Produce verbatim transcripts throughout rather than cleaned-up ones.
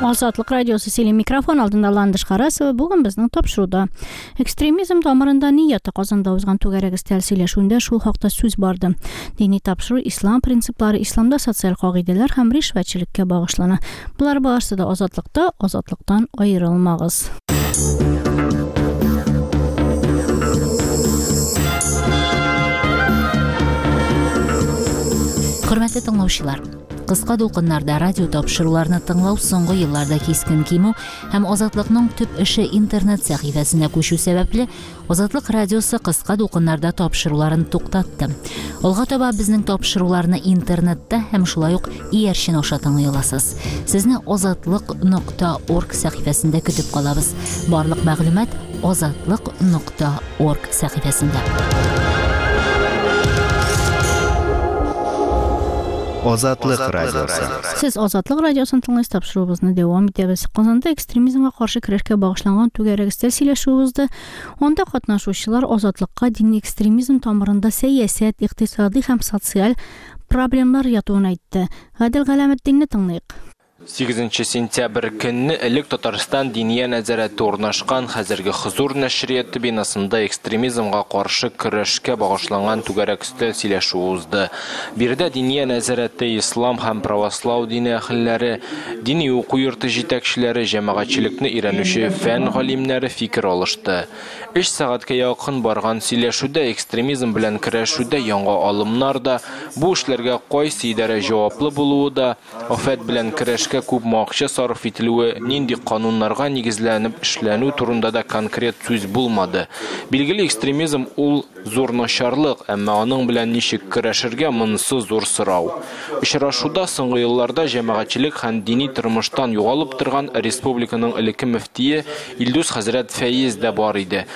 Азатлык радиосы сөйли, микрофон алдында Ландыш Харасова. Бүген безнең тапшыруда экстремизм тамырында ни ята? Казанда узган түгәрәк өстәл сөйләшүендә шул хакта сүз барды. Дини тапшыру ислам принциплары, исламда социаль кагыйдәләр һәм ришвәтчелеккә багышлана. Болар барысы да Азатлыкта, Азатлыктан аерылмагыз. Хөрмәтле тыңлаучылар, кыска дулкыннарда радио тапшыруларны тыңлау соңгы елларда кискен кимү һәм Азатлыкның төп эше интернет сәхифәсенә күчү сәбәпле, Азатлык радиосы кыска дулкыннарда тапшыруларын туктатты. Алга таба безнең тапшыруларны интернетта һәм шулай ук иярчен аша тыңлый аласыз. Сезне азатлык нокта орг сәхифәсендә көтеп калабыз. Барлык мәгълүмат азатлык нокта орг сәхифәсендә. Азатлык радиосы. Сез Азатлык радиосын тыңлыйсыз, тапшыруыбызны дәвам итәбез. Казанда экстремизмга каршы көрәшкә багышланган түгәрәк өстәл сөйләшүе узды. Анда катнашучылар Азатлыкка дини экстремизм тамырында сәясәт, икътисади һәм социаль проблемалар ятуын әйтте. Гадел Галәметдинне тыңлыйк. Сигезенче сентябрь көнне элек Татарстан Диния нәзарәте урнашкан хәзерге Хозур нәшрияты бинасында экстремизмга каршы көрәшкә багышланган түгәрәк өстәл сөйләшүе узды. Биредә Диния нәзарәте, ислам һәм правослау дине әһелләре, дини уку йорты җитәкчеләре, җәмәгатьчелекне өйрәнүче фән галимнәре фикер алышты. Өч сәгатькә якын барган сөйләшүдә экстремизм белән көрәшүдә яңа алымнар да, бу эшләргә кайсы идарә җаваплы булуы да, афәт белән көрәшкә күпме акча сарыф ителүе, нинди кануннарга нигезләнеп эшләнү турында да конкрет сүз булмады. Билгеле, экстремизм ул зур начарлык, әмма аның белән ничек көрәшергә, монысы зур сорау. Очрашуда соңгы елларда җәмәгатьчелек һәм дини тормыштан югалып торган республиканың элекке мөфтие Илдус хәзрәт Фәиз дә бар иде.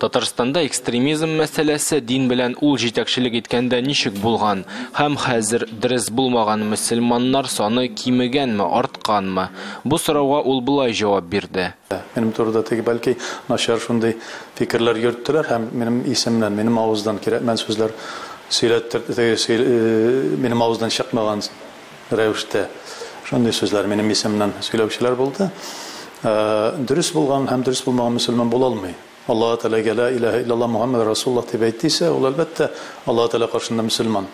Татарстанда экстремизм мәсьәләсе дин белән ул җитәкчелек иткәндә ничек булган һәм хәзер дөрес булмаган мөселманнар саны кимегәнме, артканмы? Бу сорауга ул болай җавап бирде. Минем турыда теге бәлки начар шундый фикерләр йөрттеләр һәм минем исемнән, минем авыздан кирәкмән сүзләр сөйләттер, теге сөйл-, э, минем авыздан чыкмаган рәвештә шундый сүзләр минем исемнән сөйләүчеләр булды. Э, дөрес булган һәм дөрес булмаган мөселман була алмый. Аллаһ Тәгаләгә ла илаһа иллаллаһ Мухаммад Расулуллаһ дип әйтсә, ул әлбәттә Аллаһ Тәгалә каршында мөселман.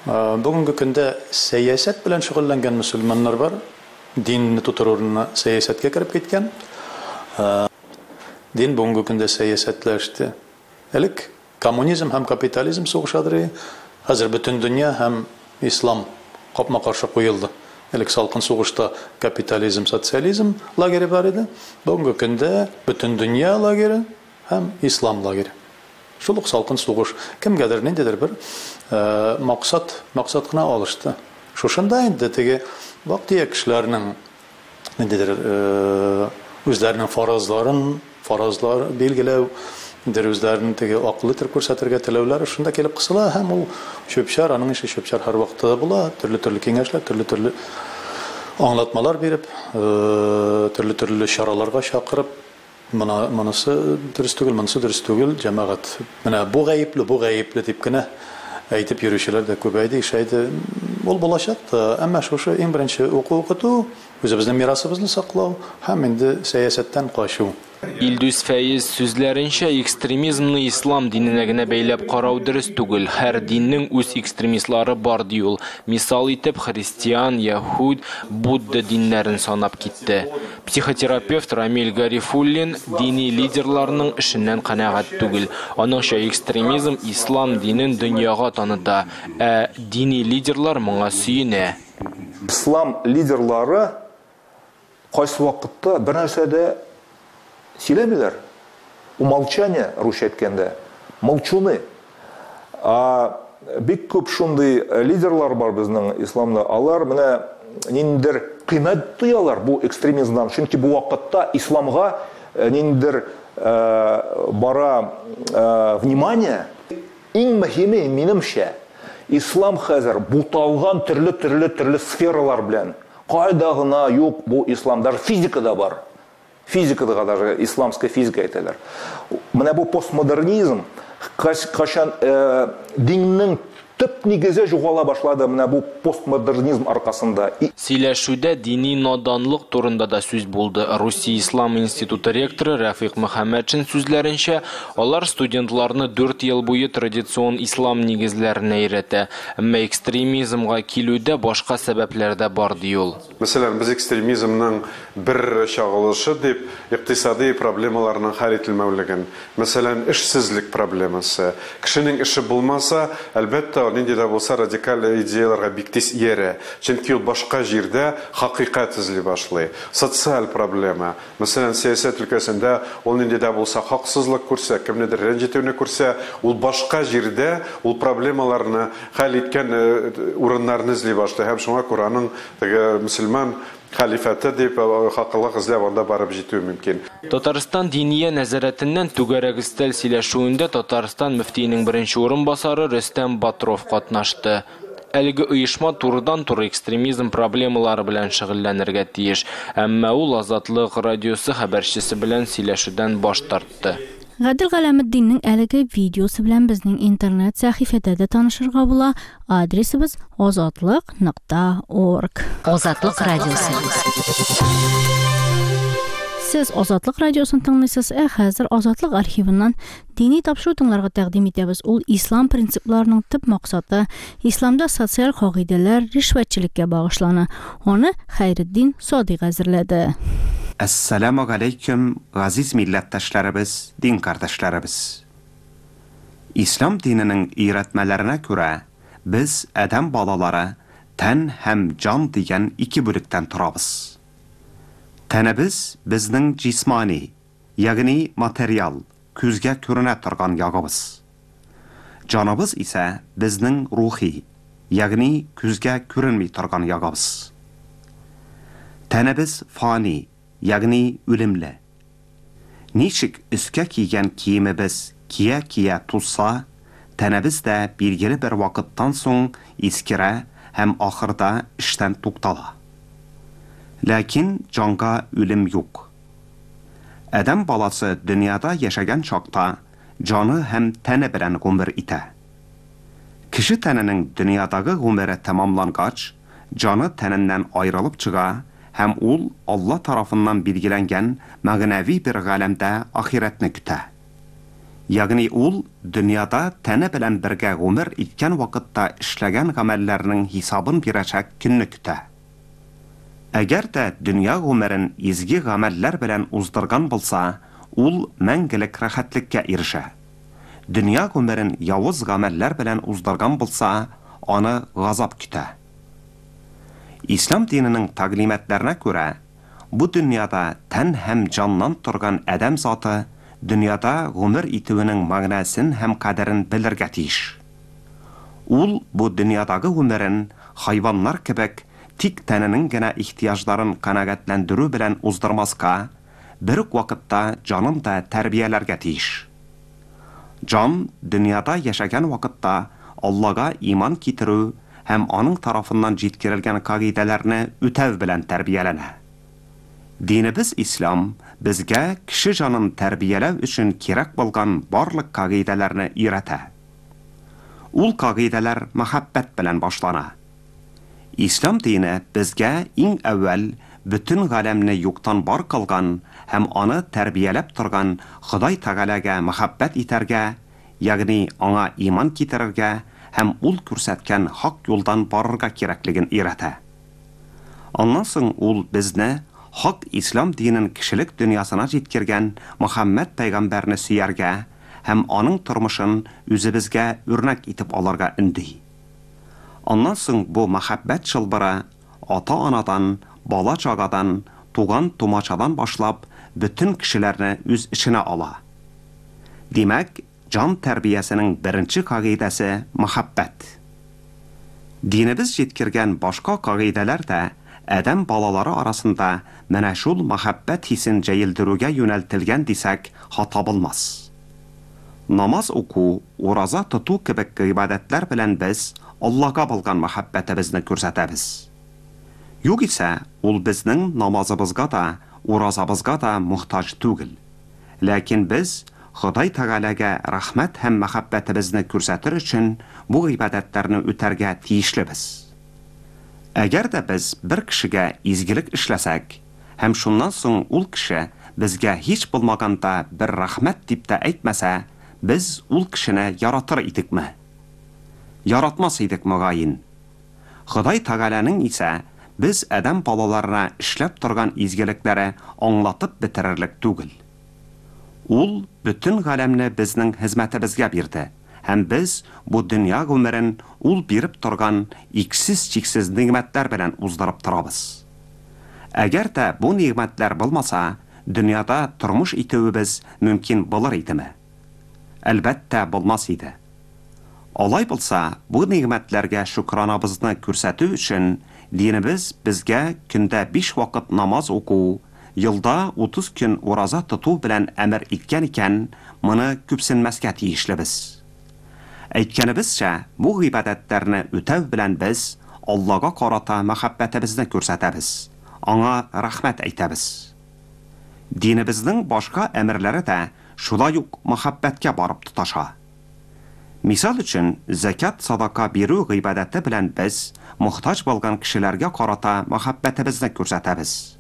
Э, бүгенге көндә сәясәт белән шөгыльләнгән мөселманнар бар, динне тотыр урынына сәясәткә кереп киткән. Э, дин бүгенге көндә сәясәтләште. Элек коммунизм һәм капитализм сугышадыр, хәзер бөтен дөнья һәм ислам капма-каршы куелды. Элек салкын сугышта капитализм, социализм лагере бар иде. Бүгенге көндә бөтен дөнья лагере һәм ислам лагере. Шул ук салкын сугыш кемгәдер ниндидер бер, э, максат, максат кына алышты. Шушында инде теге вак-төяк кешеләрнең ниндидер, э, үзләренең фаразларын, фаразлар билгеләү, ниндидер үзләрен теге акыллы итеп күрсәтергә теләүләре шунда килеп кысыла һәм ул чүп-чар, аның ише чүп-чар һәрвакытта да була, төрле-төрле киңәшләр, төрле-төрле аңлатмалар биреп, э, төрле-төрле чараларга чакырып, мына, монысы дөрес түгел, монысы дөрес түгел, җәмәгать. Менә бу гаепле, бу гаепле дип кенә әйтеп йөрүчеләр дә күбәйде, ишәйде. Ул булачак та, әмма шушы иң беренче уку укыту, үзебезнең мирасыбызны саклау һәм инде сәясәттән качу. Илдус Фәиз сүзләренчә, экстремизмны ислам диненә генә бәйләп карау дөрес түгел. Һәр диннең үз экстремистлары бар, ди ул. Мисал итеп, христиан, яһүд, Будда диннәрен санап китте. Психотерапевт Рамиль Гарифуллин дини лидерларның эшеннән канәгать түгел. Аныңча, экстремизм ислам динен дөньяга таныта, ә дини лидерлар моңа сөенә. Ислам лидерлары кайсы вакытта бер нәрсә дә сөйләмиләр. Умолчание, русча әйткәндә, молчуны. А бик күп шундый лидерлар бар безнең исламда. Алар менә ниндидер кыйммәт тоялар бу экстремизмнан. Чөнки бу вакытта исламга, э, ниндидер, э, бара, э, внимание. Иң мөһиме, минемчә, ислам хәзер буталган төрле-төрле төрле сфералар белән. Кайда гына юк бу ислам, даже физикада бар. Физикада даже исламская физика әйтәләр. Менә бу постмодернизм кайчан, э, диннең Төп нигезе югала башлады менә бу постмодернизм аркасында. Сөйләшүдә дини наданлык турында да сүз булды. Русия Ислам институты ректоры Рәфыйк Мөхәммәтшин сүзләренчә, алар студентларны дүрт ел буе традицион ислам нигезләренә өйрәтә. Әмма экстремизмга килүдә башка сәбәпләр дә бар, ди ул. Мәсәлән, без экстремизмның бер чагылышы дип икътисади проблемаларның хәл ителмәүлеген, мәсәлән, эшсезлек проблемасы. Кешенең эше булмаса, әлбәттә, нинди дә булса радикаль идеяларга бик тиз иярә. Чөнки ул башка җирдә хакыйкать эзли башлый. Социаль проблема. Мәсәлән, сәясәт өлкәсендә ул нинди дә булса хаксызлык күрсә, кемнедер рәнҗетүне күрсә, ул башка җирдә ул проблемаларны хәл иткән урыннарны эзли башлый. Һәм шуңа күрә аның теге мөселман халифаты дип хаклык эзләп анда барып җитү мөмкин. Татарстан Диния нәзарәтеннән түгәрәк өстәл сөйләшүендә Татарстан мөфтиенең беренче урынбасары Рөстәм Батров катнашты. Әлеге оешма турыдан-туры экстремизм проблемалары белән шөгыльләнергә тиеш, әмма ул Азатлык радиосы хәбәрчесе белән сөйләшүдән баш тартты. Гадел Галәметдиннең әлеге видеосы белән безнең интернет сәхифәдә дә танышырга була. Адресыбыз азатлык нокта орг. Азатлык радиосы. Сез Азатлык радиосын тыңлыйсыз, ә хәзер Азатлык архивыннан дини тапшыру тыңларга тәкъдим итәбез. Ул ислам принципларының төп максаты, исламда социаль кагыйдәләр, ришвәтчелеккә багышлана. Аны Хәйретдин Садыйк әзерләде. Әссәламу алейкум, газиз милләттәшләребез, дин кардәшләребез. Ислам диненең өйрәтмәләренә күрә, без адәм балалары тән һәм җан дигән ике бүлектән торабыз. Тәнебез безнең җисмани, ягъни материал, күзгә күренә торган ягыбыз. Җаныбыз исә безнең рухи, ягъни күзгә күренми торган ягыбыз. Тәнебез фани, ягъни үлемле. Ничек өскә кигән киемебез кия-кия тузса, тәнебез дә билгеле бер вакыттан соң искерә һәм ахырда эштән туктала. Ләкин җанга үлем юк. Адәм баласы дөньяда яшәгән чакта җаны һәм тәне белән гомер итә. Кеше тәненең дөньядагы гомере тәмамлангач, җаны тәненнән аерылып чыга һәм ул Алла тарафыннан билгеләнгән мәгънәви бер галәмдә ахирәтне көтә. Ягъни ул дөньяда тәне белән бергә гомер иткән вакытта эшләгән гамәлләрнең хисабын бирәчәк көнне көтә. Әгәр дә дөнья гомерен изге гамәлләр белән уздырган булса, ул мәңгелек рәхәтлеккә ирешә. Дөнья гомерен явыз гамәлләр белән уздырган булса, аны газап көтә. Ислам диненең тәгълиматларына күрә, бу дөньяда тән һәм җаннан торган адәм заты дөньяда гомер итүенең мәгънәсен һәм кадерен белергә тиеш. Ул бу дөньядагы гомерен хайваннар кебек тик тәненең генә ихтыяҗларын канәгатьләндерү белән уздырмаска, бер үк вакытта җанын да тәрбияләргә тиеш. Җан дөньяда яшәгән вакытта Аллага иман китерү һәм аның тарафыннан җиткерелгән кагыйдәләрне үтәү белән тәрбияләнә. Динебез ислам безгә кеше җанын тәрбияләү өчен кирәк булган барлык кагыйдәләрне өйрәтә. Ул кагыйдәләр мәхәббәт белән башлана. Ислам дине безгә иң әүвәл бөтен галәмне юктан бар кылган һәм аны тәрбияләп торган Ходай Тәгаләгә мәхәббәт итәргә, ягъни аңа иман китерергә һәм ул күрсәткән хак юлдан барырга кирәклеген өйрәтә. Аннан соң ул безне хак ислам динен кешелек дөньясына җиткергән Мөхәммәд пәйгамбәрне сөяргә һәм аның тормышын үзебезгә үрнәк итеп алырга өнди. Аннан соң бу мәхәббәт чылбыры ата-анадан, бала-чагадан, туган-тумачадан башлап бөтен кешеләрне үз эченә ала. Димәк, җан тәрбиясенең беренче кагыйдәсе мәхәббәт. Динебез җиткергән башка кагыйдәләр дә адәм балалары арасында менә шул мәхәббәт хисен җәелдерүгә юнәлтелгән дисәк, хата булмас. Намаз уку, ураза тоту кебек гыйбадәтләр белән без Аллага булган мәхәббәтебезне күрсәтәбез. Югыйсә, ул безнең намазыбызга да, уразабызга да мохтаҗ түгел. Ләкин без Ходай Тәгаләгә рәхмәт һәм мәхәббәтебезне күрсәтер өчен бу гыйбадәтләрне үтәргә тиешлебез. Әгәр дә без бер кешегә изгелек эшләсәк, һәм шуннан соң ул кеше безгә һич булмаганда бер рәхмәт дип тә әйтмәсә, без ул кешене яратыр идекме? Яратмас идек мөгаен. Ходай Тәгаләнең исә без адәм балаларына эшләп торган изгелекләре аңлатып бетерерлек түгел. Ул бөтен галәмне безнең хезмәтебезгә бирде, һәм без бу дөнья гомерен ул биреп торган иксез-чиксез нигъмәтләр белән уздырып торабыз. Әгәр дә бу нигъмәтләр булмаса, дөньяда тормыш итүебез мөмкин булыр идеме? Әлбәттә, булмас иде. Алай булса, бу нигъмәтләргә шөкранабызны күрсәтү өчен динебез безгә көндә биш вакыт намаз уку, елда утыз көн ураза тоту белән әмер иткән икән, моны күпсенмәскә тиешлебез. Әйткәнебезчә, бу гыйбадәтләрне үтәү белән без Аллага карата мәхәббәтебезне күрсәтәбез, аңа рәхмәт әйтәбез. Динебезнең башка әмерләре дә шулай ук мәхәббәткә барып тоташа. Мисал өчен, зәкят садака бирү гыйбадәте белән без мохтаҗ булган кешеләргә карата мәхәббәтебезне күрсәтәбез.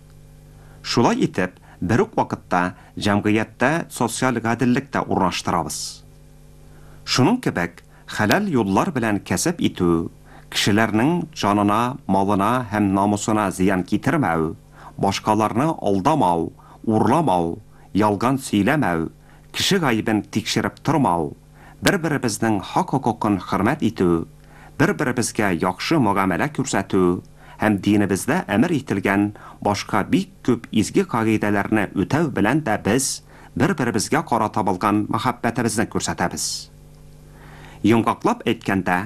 Шулай итеп, бер үк вакытта җәмгыятьтә социаль гаделлек тә урнаштырабыз. Шуның кебек, хәләл юллар белән кәсеп итү, кешеләрнең җанына, малына һәм намусына зыян китермәү, башкаларны алдамау, урламау, ялган сөйләмәү, кеше гаебен тикшереп тормау, бер-беребезнең хак-хокукын хөрмәт итү, бер-беребезгә яхшы мөгамәлә күрсәтү һәм динебездә әмер ителгән башка бик күп изге кагыйдәләрне үтәү белән дә без бер-беребезгә карата булган мәхәббәтебезне күрсәтәбез. Йомгаклап әйткәндә,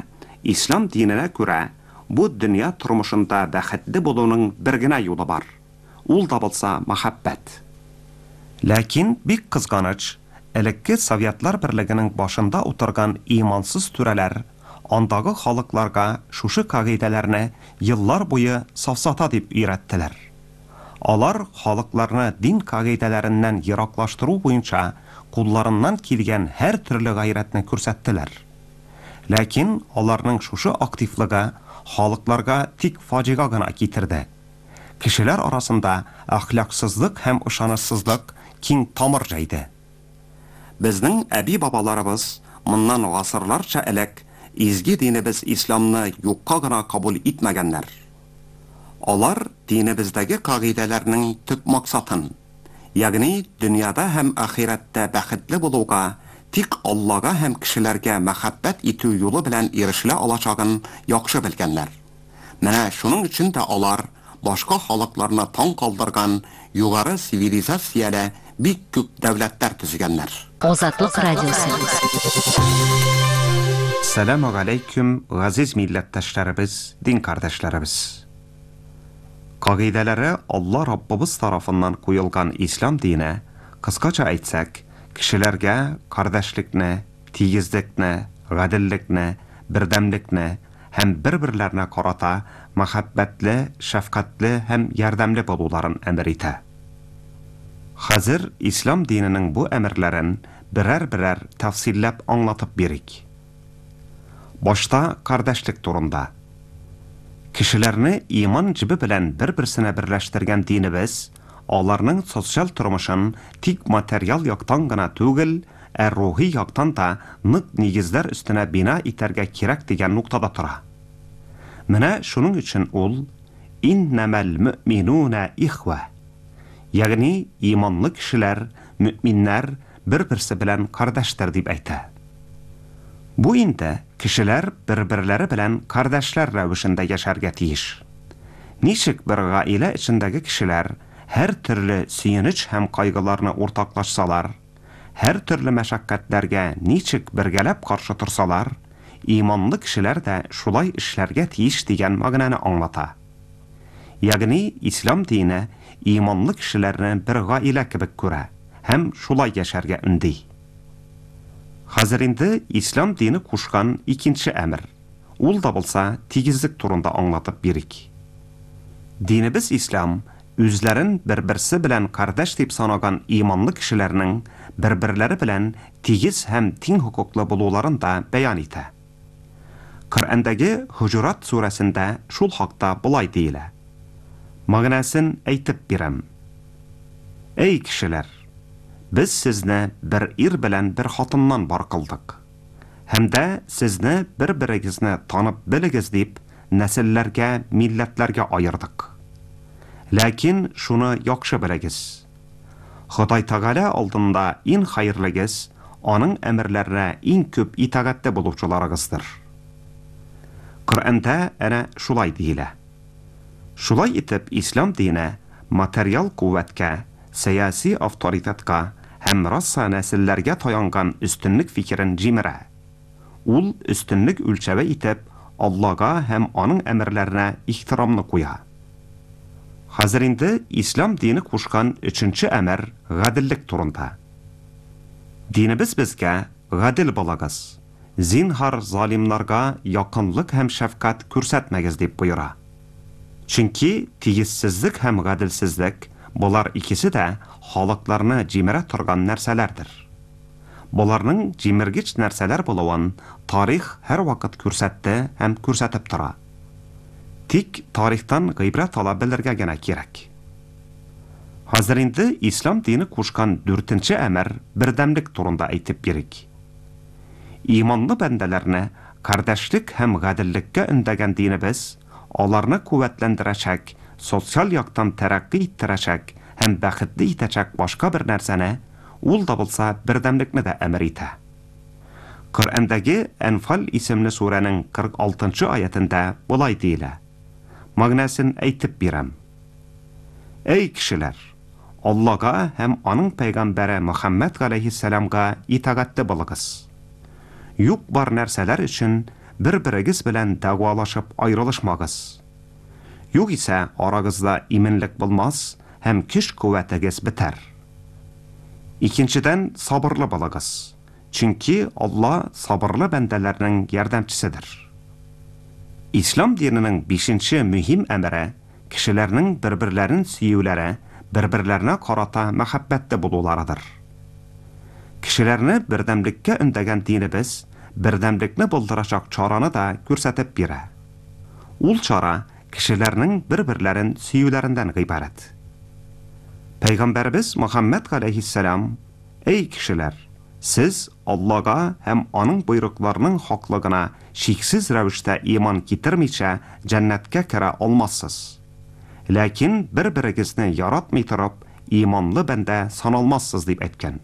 ислам диненә күрә бу дөнья тормышында бәхетле булуның бер генә юлы бар. Ул да булса мәхәббәт. Ләкин бик кызганыч, элекке Советлар Берлегенең башында утырган имансыз түрәләр андагы халыкларга шушы кагыйдәләрне еллар буе сафсата дип өйрәттеләр. Алар халыкларны дин кагыйдәләреннән ераклаштыру буенча кулларыннан килгән һәр төрле гайрәтне күрсәттеләр. Ләкин аларның шушы активлыгы халыкларга тик фаҗига гына китерде. Кешеләр арасында әхлаксызлык һәм ышанычсызлык киң тамыр җәйде. Безнең әби-бабаларыбыз моннан гасырларча элек изге динебез исламны юкка гына кабул итмәгәннәр. Алар динебездәге кагыйдәләрнең төп максатын, ягъни дөньяда һәм ахирәттә бәхетле булуга тик Аллага һәм кешеләргә мәхәббәт итү юлы белән ирешелә алачагын яхшы белгәннәр. Менә шуның өчен дә алар башка халыкларны таң калдырган югары цивилизацияле бик күп дәүләтләр төзегәннәр. Азатлык радиосы. Сәлам алейкум, газиз милләттәшләребез, дин кардәшләребез. Кагыйдәләре Алла Раббыбыз тарафыннан куелган ислам дине, кыскача әйтсәк, кешеләргә кардәшлекне, тигезлекне, гаделлекне, бердәмлекне һәм бер-берләренә карата мәхәббәтле, шәфкатьле һәм ярдәмле булуларын әмер итә. Хәзер ислам диненең бу әмерләрен берәр-берәр тәфсилләп аңлатып бирик. Башта кардәшлек турында. Кешеләрне иман җебе белән бер-берсенә берләштергән динебез аларның социаль тормышын тик материал яктан гына түгел, ә рухи яктан да нык нигезләр өстенә бина итәргә кирәк дигән ноктада тора. Менә шуның өчен ул иннәмәл мөминуна ихва, ягъни иманлы кешеләр, мөминнәр бер-берсе белән кардәшләр дип әйтә. Бу инде кешеләр бер-берләре белән кардәшләр рәвешендә яшәргә тиеш. Ничек бер гаилә эчендәге кешеләр һәр төрле сөенеч һәм кайгыларны уртаклашсалар, һәр төрле мәшәкатьләргә ничек бергәләп каршы торсалар, иманлы кешеләр дә шулай эшләргә тиеш дигән мәгънәне аңлата. Ягъни ислам дине иманлы кешеләрне бер гаилә кебек күрә һәм шулай яшәргә өнди. Хәзер инде ислам дине кушкан икенче әмер. Ул да булса тигезлек турында аңлатып бирик. Динебез ислам үзләрен бер-берсе белән кардәш дип санаган иманлы кешеләрнең бер-берләре белән тигез һәм тиң хокуклы булуларын да бәян итә. Коръәндәге Хуҗурат сүрәсендә шул хакта болай диелә. Мәгънәсен әйтеп бирәм. Эй кешеләр, без сезне бер ир белән бер хатыннан бар кылдык. Һәм дә сезне бер-берегезне танып белегез дип, нәселләргә, милләтләргә аердык. Ләкин шуны яхшы белегез. Ходай Тәгалә алдында иң хәерлегез, аның әмерләренә иң күп итагатьле булучыларыгыздыр. Коръәндә әнә шулай диелә. Шулай итеп, ислам дине материал куәткә, сәяси авторитетка һәм раса нәселләргә таянган өстенлек фикерен җимерә. Ул өстенлек үлчәве итеп Аллага һәм аның әмерләренә ихтирамны куя. Хәзер инде ислам дине кушкан өченче әмер гаделлек турында. Динебез безгә гадел булыгыз, зинһар залимнарга якынлык һәм шәфкать күрсәтмәгез дип боера. Чөнки тигезсезлек һәм гаделсезлек болар икесе дә халыкларны җимерә торган нәрсәләрдер. Боларның җимергеч нәрсәләр булуын тарих һәрвакыт күрсәтте һәм күрсәтеп тора. Тик тарихтан гыйбрәт ала белергә генә кирәк. Хәзер инде ислам дине кушкан дүртенче әмер бердәмлек турында әйтеп бирик. Иманлы бәндәләрне кардәшлек һәм гаделлеккә өндәгән динебез аларны куәтләндерәчәк, социаль яктан тәрәккый иттерәчәк һәм бәхетле итәчәк башка бер нәрсәне, ул да булса бердәмлекне дә әмер итә. Коръәндәге Әнфал исемле сүрәнең кырык алтынчы аятендә болай диелә. Мәгънәсен әйтеп бирәм. Эй кешеләр, Аллага һәм аның пәйгамбәре Мөхәммәд галәйһиссәламга итагатьле булыгыз. Юк бар нәрсәләр өчен бер-берегез белән дәгъвалашып аерылышмагыз. Юк исә арагызда иминлек булмас һәм көч куәтегез бетәр. Икенчедән, сабырлы булыгыз. Чөнки Алла сабырлы бәндәләрнең ярдәмчеседер. Ислам диненең бишенче мөһим әмере кешеләрнең бер-берләрен сөюләре, бер-берләренә карата мәхәббәтле булуларыдыр. Кешеләрне бердәмлеккә өндәгән динебез бердәмлекне булдырачак чараны да күрсәтеп бирә. Ул чара кешеләрнең бер-берләрен сөюләреннән гыйбарәт. Пәйгамбәребез Мөхәммәд галәйһиссәлам: "Эй кешеләр, сез Аллага һәм аның боерыкларының хаклыгына шиксез рәвештә иман китермичә җәннәткә керә алмассыз. Ләкин бер-берегезне яратмый торып, иманлы бәндә саналмассыз" дип әйткән.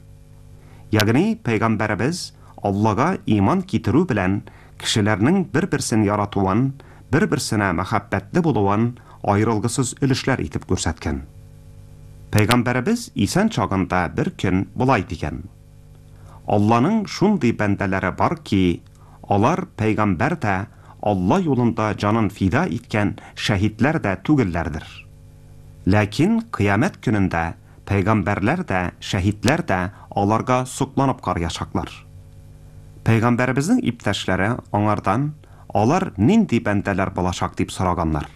Ягъни пәйгамбәребез Аллага иман китерү белән кешеләрнең бер-берсен яратуын, бер-берсенә мәхәббәтле булуын аерылгысыз өлешләр итеп күрсәткән. Пәйгамбәребез исән чагында бер көн болай дигән: Алланың шундый бәндәләре бар ки, алар пәйгамбәр дә, Алла юлында җанын фида иткән шәһидләр дә түгелләрдер. Ләкин кыямәт көнендә пәйгамбәрләр дә, шәһидләр дә аларга сокланып караячаклар. Пәйгамбәребезнең иптәшләре аңардан алар нинди бәндәләр булачак дип сораганнар.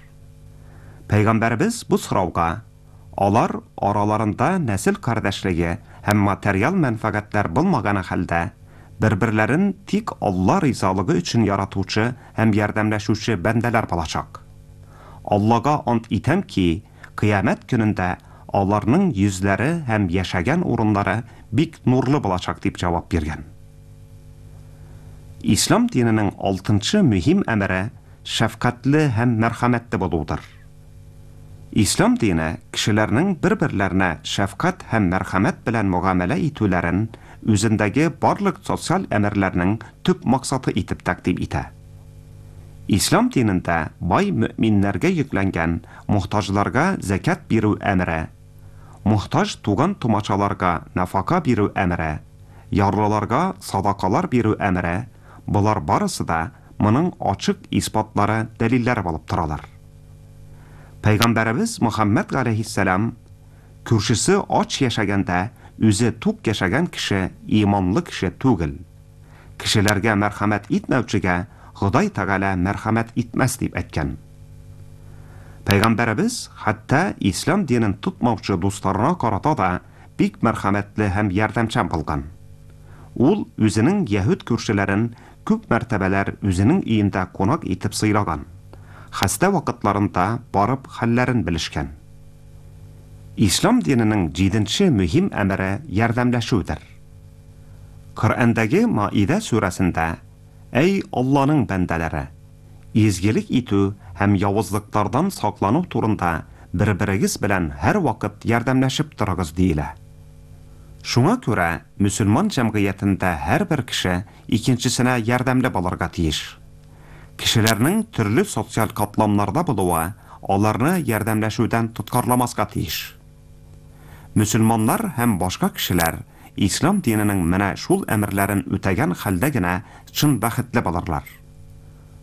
Пәйгамбәребез бу сорауга: алар араларында нәсел кардәшлеге һәм материал мәнфәгатьләр булмаган хәлдә бер-берләрен тик Алла ризалыгы өчен яратучы һәм ярдәмләшүче бәндәләр булачак. Аллага ант итәм ки, кыямәт көнендә аларның йөзләре һәм яшәгән урыннары бик нурлы булачак дип җавап биргән. Ислам диненең алтынчы мөһим әмере шәфкатьле һәм мәрхәмәтле булудыр. Ислам дине кешеләрнең бер-берләренә шәфкать һәм мәрхәмәт белән мөгамәлә итүләрен үзендәге барлык социаль әмерләрнең төп максаты итеп тәкъдим итә. Ислам динендә бай мөминнәргә йөкләнгән мохтаҗларга зәкят бирү әмере, мохтаҗ туган тумачаларга нафака бирү әмере, ярлыларга садакалар бирү әмере, болар барысы да моның ачык исбатлары, дәлилләре булып торалар. Пәйгамбәребез Мөхәммәд галәйһиссәлам күршесе ач яшәгәндә үзе тук яшәгән кеше иманлы кеше түгел. Кешеләргә мәрхәмәт итмәүчегә Ходай Тәгалә мәрхәмәт итмәс дип әйткән. Пәйгамбәребез хәтта ислам динен тотмаучы дусларына карата да бик мәрхәмәтле һәм ярдәмчән булган. Ул үзенең яһүд күршеләрен күп мәртәбәләр үзенең өендә кунак итеп сыйлаган. Хәстә вакытларында барып хәлләрен белешкән. Ислам диненең җиденче мөһим әмере ярдәмләшүдер. Коръәндәге Маида сүрәсендә: "Әй Алланың бәндәләре, изгелек итү һәм явызлыклардан саклану турында бер-берегез белән һәр вакыт ярдәмләшеп торыгыз" диелә. Шуңа күрә мөселман җәмгыятендә һәрбер кеше икенчесенә ярдәмле булырга тиеш. Кешеләрнең төрле социаль катламнарда булуы аларны ярдәмләшүдән тоткарламаска тиеш. Мөселманнар һәм башка кешеләр ислам диненең менә шул әмерләрен үтәгән хәлдә генә чын бәхетле булырлар.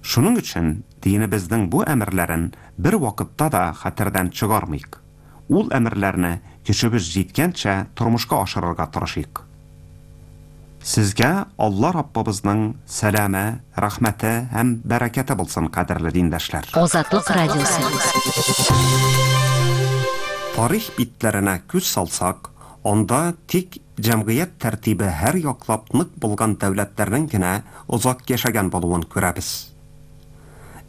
Шуның өчен динебезнең бу әмерләрен бер вакытта да хәтердән чыгармыйк. Ул әмерләрне көчебез җиткәнчә тормышка ашырырга тырышыйк. Сезгә Алла Раббыбызның сәламе, рәхмәте һәм бәрәкәте булсын, кадерле диндәшләр. Азатлык радиосы. Тарих битләренә күз салсак, анда тик җәмгыять тәртибе һәр яклап нык булган дәүләтләрнең генә озак яшәгән булуын күрәбез.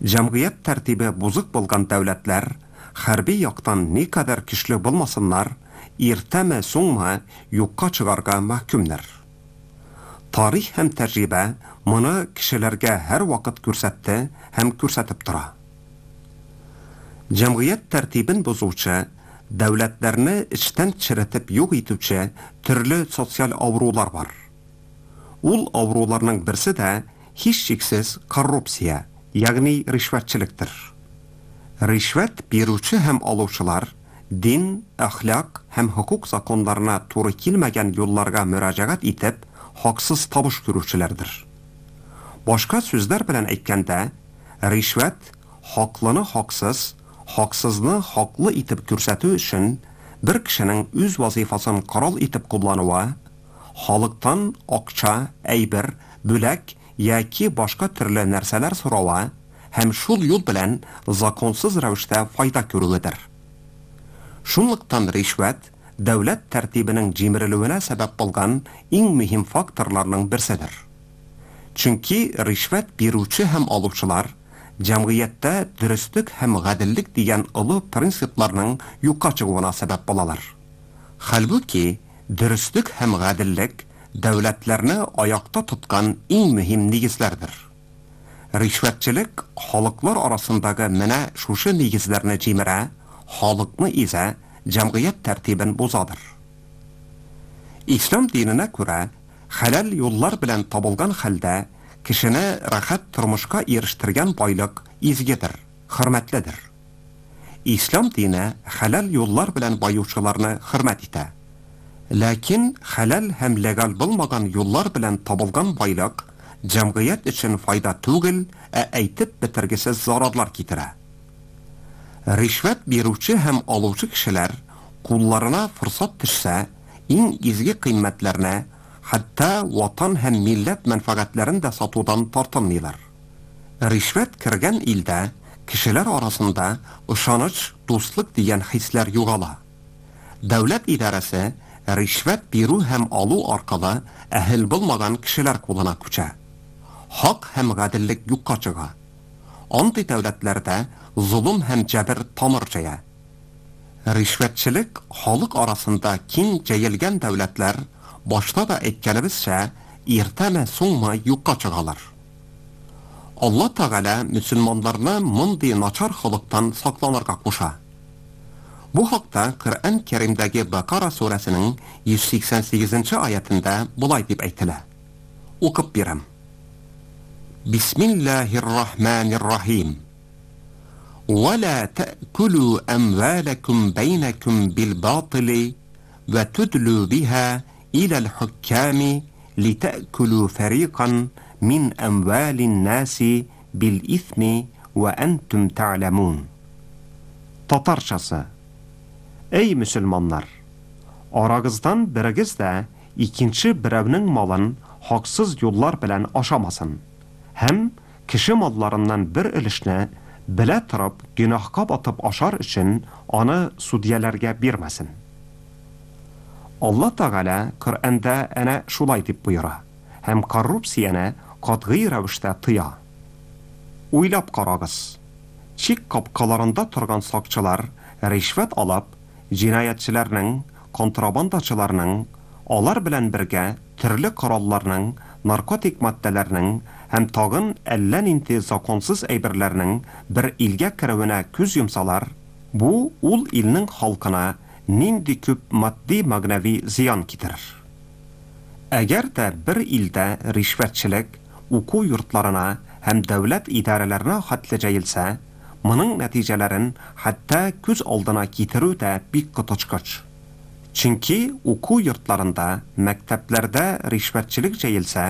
Җәмгыять тәртибе бозык булган дәүләтләр хәрби яктан никадәр көчле булмасыннар, иртәме соңмы юкка чыгарга мәхкүмнәр. Тарих һәм тәҗрибә моны кешеләргә һәр вакыт күрсәтте һәм күрсәтеп тора. Җәмгыять тәртибен бозучы, дәүләтләрне эчтән черетеп юк итүче төрле социаль авырулар бар. Ул авыруларның берсе дә һичшиксез коррупция, ягъни ришвәтчелектер. Ришвәт бирүче һәм алучылар дин, әхлак һәм хокук законнарына туры килмәгән юлларга мөрәҗәгать итеп, хаксыз табыш күрүчеләрдер. Башка сүзләр белән әйткәндә, ришвәт хаклыны хаксыз, хаксызны хаклы итеп күрсәтү өчен бер кешенең үз вазифасын корал итеп куллануы, халыктан акча, әйбер, бүләк яки башка төрле нәрсәләр соравы һәм шул юл белән законсыз рәвештә файда күрүедер. Шунлыктан ришвәт дәүләт тәртибенең җимерелүенә сәбәп булган иң мөһим факторларның берседер. Чөнки ришвәт бирүче һәм алучылар җәмгыятьтә дөреслек һәм гаделлек дигән олы принципларның юкка чыгуына сәбәп булалар. Хәлбуки, дөреслек һәм гаделлек дәүләтләрне аякта тоткан иң мөһим нигезләрдер. Ришвәтчелек халыклар арасындагы менә шушы нигезләрне җимерә, халыкны изә, җәмгыять тәртибен бозадыр. Ислам диненә күрә, хәләл юллар белән табылган хәлдә кешене рәхәт тормышка ирештергән байлык изгедер, хөрмәтледер. Ислам дине хәләл юллар белән баючыларны хөрмәт итә. Ләкин хәләл һәм легаль булмаган юллар белән табылган байлык җәмгыять өчен файда түгел, ә әйтеп бетергесез зарарлар китерә. Ришвәт бирүче һәм алучы кешеләр кулларына форсат төшсә, иң изге кыйммәтләрне, хәтта ватан һәм милләт мәнфәгатьләрен дә сатудан тартынмыйлар. Ришвәт кергән илдә кешеләр арасында ышаныч, дуслык дигән хисләр югала. Дәүләт идарәсе ришвәт бирү һәм алу аркылы әһел булмаган кешеләр кулына күчә. Хак һәм гаделлек юкка чыга. Андый дәүләтләрдә золым һәм җәбер тамыр җәя. Ришвәтчелек халык арасында киң җәелгән дәүләтләр башта да әйткәнебезчә, иртәме соңмы юкка чыгалар. Алла Тәгалә мөселманнарны мондый начар холыктан сакланырга куша. Бу хакта Коръән Кәримдәге Бакара сүрәсенең йөз сиксән сигезенче аятында болай дип әйтелә. Укып бирәм. Бисмиллаһир-рахманир-рахим. وَلَا تَأْكُلُوا أَمْوَالَكُمْ بَيْنَكُمْ بِالْبَاطِلِ وَتُدْلُوا بِهَا إِلَى الْحُكَّامِ لِتَأْكُلُوا فَرِيقًا مِنْ أَمْوَالِ النَّاسِ بِالْإِثْمِ وَأَنْتُمْ تَعْلَمُونَ. Татарчасы. Ey мөселманнар! Арагыздан берегез дә икенче берәүнең малын хаксыз юллар белән ашамасын һәм кеше малларыннан бер өлешне Белә торып, гөнаһка батып ашар өчен аны судьяларга бирмәсен. Алла Тәгалә Коръәндә әнә шулай дип боера һәм коррупцияне катгый рәвештә тыя. Уйлап карагыз. Чик капкаларында торган сакчылар ришвәт алып, җинаятьчеләрнең, контрабандачыларның, алар белән бергә төрле коралларның, наркотик матдәләрнең һәм тагын әллә нинди законсыз әйберләрнең бер илгә керүенә күз йомсалар, бу ул илнең халкына нинди күп матди мәгънәви зыян китерер. Әгәр дә бер илдә ришвәтчелек уку йортларына һәм дәүләт идарәләренә хәтле җәелсә, моның нәтиҗәләрен хәтта күз алдына китерү дә бик коточкыч. Чөнки уку йортларында, мәктәпләрдә ришвәтчелек җәелсә,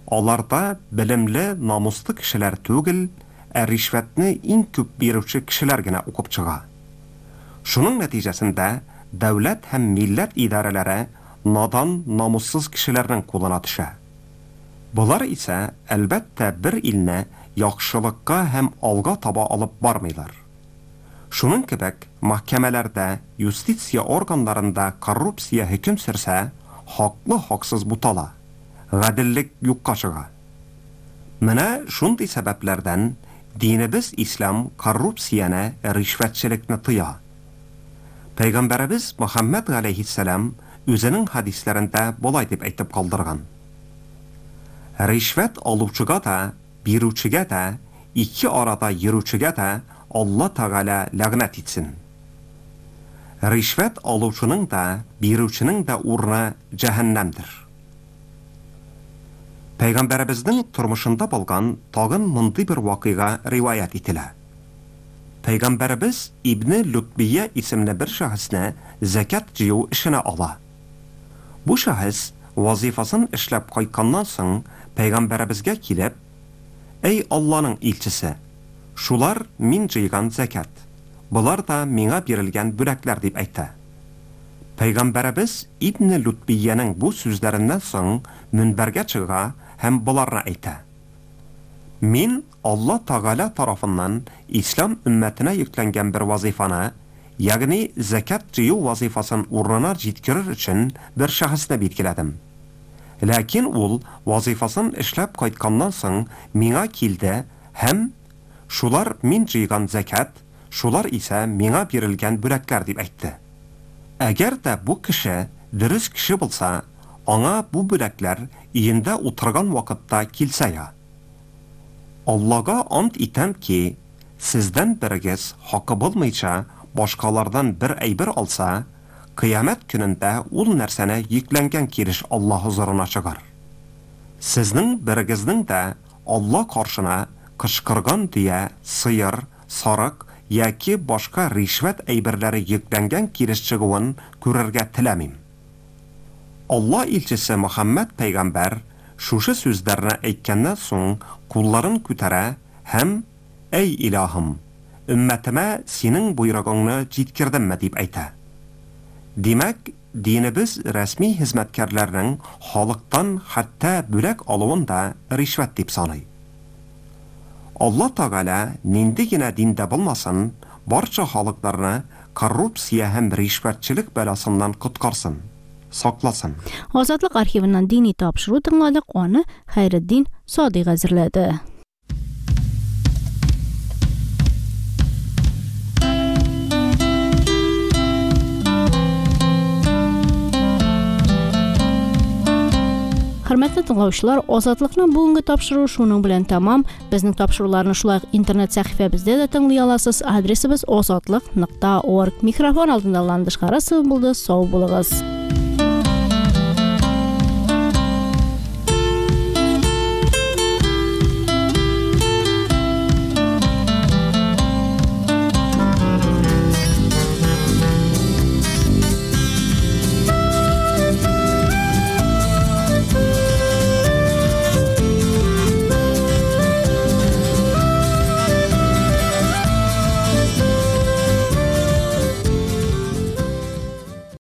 аларда белемле, намуслы кешеләр түгел, ә ришвәтне иң күп бирүче кешеләр генә укып чыга. Шуның нәтиҗәсендә дәүләт һәм милләт идарәләре надан, намуссыз кешеләрнең кулына төшә. Болар исә, әлбәттә, бер илне яхшылыкка һәм алга таба алып бармыйлар. Шуның кебек, мәхкәмәләрдә, юстиция органнарында коррупция хөкем сөрсә, хаклы хаксыз бутала, гаделлек юкка чыга. Менә шундый сәбәпләрдән динебез ислам коррупцияне, ришвәтчелекне тыя. Пәйгамбәребез Мөхәммәд галәйһиссәлам үзенең хәдисләрендә болай дип әйтеп калдырган: Ришвәт алучыга да, бирүчегә дә, ике арада йөрүчегә дә Алла Тәгалә ләгънәт итсен. Ришвәт алучының да, бирүченең дә урыны җәһәннәмдер. Пәйгамбәребезнең тормышында булган тагын мондый бер вакыйга риваять ителә. Пәйгамбәребез Ибне Лутбия исемле бер шәхесне зәкят җыю эшенә ала. Бу шәхес вазифасын эшләп кайтканнан соң пәйгамбәребезгә килеп: "Эй Алланың илчесе, шулар мин җыйган зәкят, болар да миңа бирелгән бүләкләр" дип әйтә. Пәйгамбәребез Ибне Лутбиянең бу сүзләреннән соң мөнбәргә чыга һәм боларны әйтә: "Мин Алла Тәгалә тарафыннан ислам өммәтенә йөкләнгән бер вазифаны, ягъни зәкят җыю вазифасын урынына җиткерер өчен бер шәхесне билгеләдем. Ләкин ул вазифасын эшләп кайтканнан соң миңа килде һәм шулар мин җыйган зәкят, шулар исә миңа бирелгән бүләкләр дип әйтте. Әгәр дә бу кеше дөрес кеше булса, аңа бу бүләкләр өендә утырган вакытта килсә я. Аллага ант итәм ки, сездән берегез хакы булмыйча башкалардан бер әйбер алса, кыямәт көнендә ул нәрсәне йөкләнгән килеш Алла хозурына чыгар. Сезнең берегезнең дә Алла каршына кычкырган дөя, сыер, сарык яки башка ришвәт әйберләре йөкләнгән килеш чыгуын күрергә теләмим." Алла илчесе Мөхәммәд пәйгамбәр шушы сүзләрне әйткәннән соң кулларын күтәрә һәм: "Эй илаһым, өммәтемә синең боерыгыңны җиткердемме?" дип әйтә. Димәк, динебез рәсми хезмәткәрләрнең халыктан хәтта бүләк алуын да ришвәт дип саный. Алла Тәгалә нинди генә диндә булмасын, барча халыкларны коррупция һәм ришвәтчелек бәласыннан коткарсын, сакласын. Азатлык архивыннан дини тапшыру тыңладык, аны Хәйретдин Садыйк әзерләде. Хөрмәтле тыңлаучылар, Азатлыкның бүгенге тапшыруы шуның белән тәмам. Безнең тапшыруларны шулай ук интернет сәхифәбездә дә тыңлый аласыз. Адресыбыз азатлык нокта орг. Микрофон алдында Ландыш Харасова булды. Сау булыгыз.